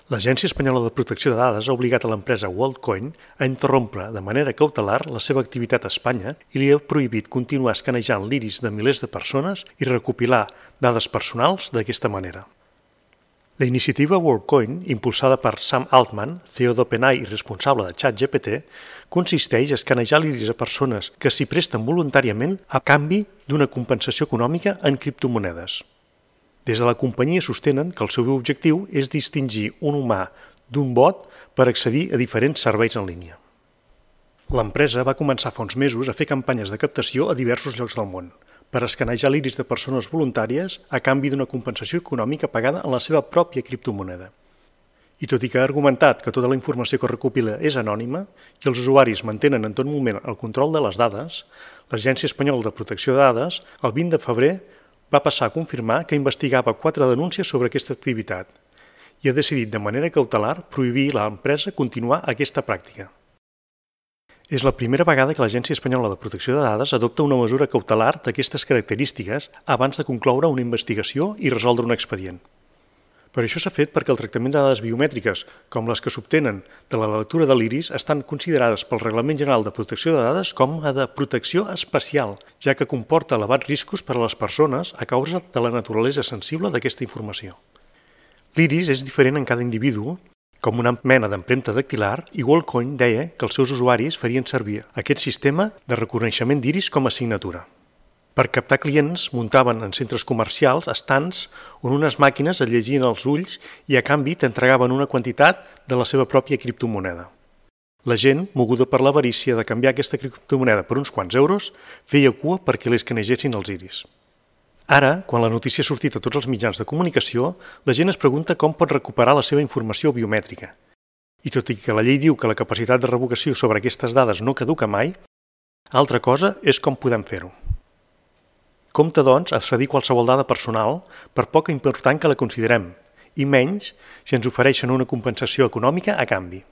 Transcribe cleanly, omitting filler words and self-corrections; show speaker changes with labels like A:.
A: L'Agència Espanyola de Protecció de Dades ha obligat a l'empresa WorldCoin a interrompre de manera cautelar la seva activitat a Espanya i li ha prohibit continuar escanejant l'iris de milers de persones i recopilar dades personals d'aquesta manera. La iniciativa WorldCoin, impulsada per Sam Altman, CEO d'OpenAI i responsable de ChatGPT, consisteix a escanejar l'iris a persones que s'hi presten voluntàriament a canvi d'una compensació econòmica en criptomonedes. Des de la companyia sostenen que el seu objectiu és distingir un humà d'un bot per accedir a diferents serveis en línia. L'empresa va començar fa uns mesos a fer campanyes de captació a diversos llocs del món per escanejar l'iris de persones voluntàries a canvi d'una compensació econòmica pagada en la seva pròpia criptomoneda. I tot i que ha argumentat que tota la informació que recopila és anònima i els usuaris mantenen en tot moment el control de les dades, l'Agència Espanyola de Protecció de Dades, el 20 de febrer, va passar a confirmar que investigava 4 denúncies sobre aquesta activitat i ha decidit de manera cautelar prohibir a l'empresa continuar aquesta pràctica. És la primera vegada que l'Agència Espanyola de Protecció de Dades adopta una mesura cautelar d'aquestes característiques abans de concloure una investigació i resoldre un expedient. Per això s'ha fet perquè el tractament de dades biomètriques, com les que s'obtenen de la lectura de l'iris, estan considerades pel Reglament General de Protecció de Dades com a de protecció especial, ja que comporta elevats riscos per a les persones a causa de la naturalesa sensible d'aquesta informació. L'iris és diferent en cada individu, com una mena d'empremta dactilar, i WorldCoin deia que els seus usuaris farien servir aquest sistema de reconeixement d'iris com a assignatura. Per captar clients, muntaven en centres comercials estants on unes màquines et llegien els ulls i a canvi t'entregaven una quantitat de la seva pròpia criptomoneda. La gent, moguda per l'avarícia de canviar aquesta criptomoneda per uns quants euros, feia cua perquè li escanegessin els iris. Ara, quan la notícia ha sortit a tots els mitjans de comunicació, la gent es pregunta com pot recuperar la seva informació biomètrica. I tot i que la llei diu que la capacitat de revocació sobre aquestes dades no caduca mai, altra cosa és com podem fer-ho. Compte, doncs, a cedir qualsevol dada personal, per poc important que la considerem, i menys si ens ofereixen una compensació econòmica a canvi.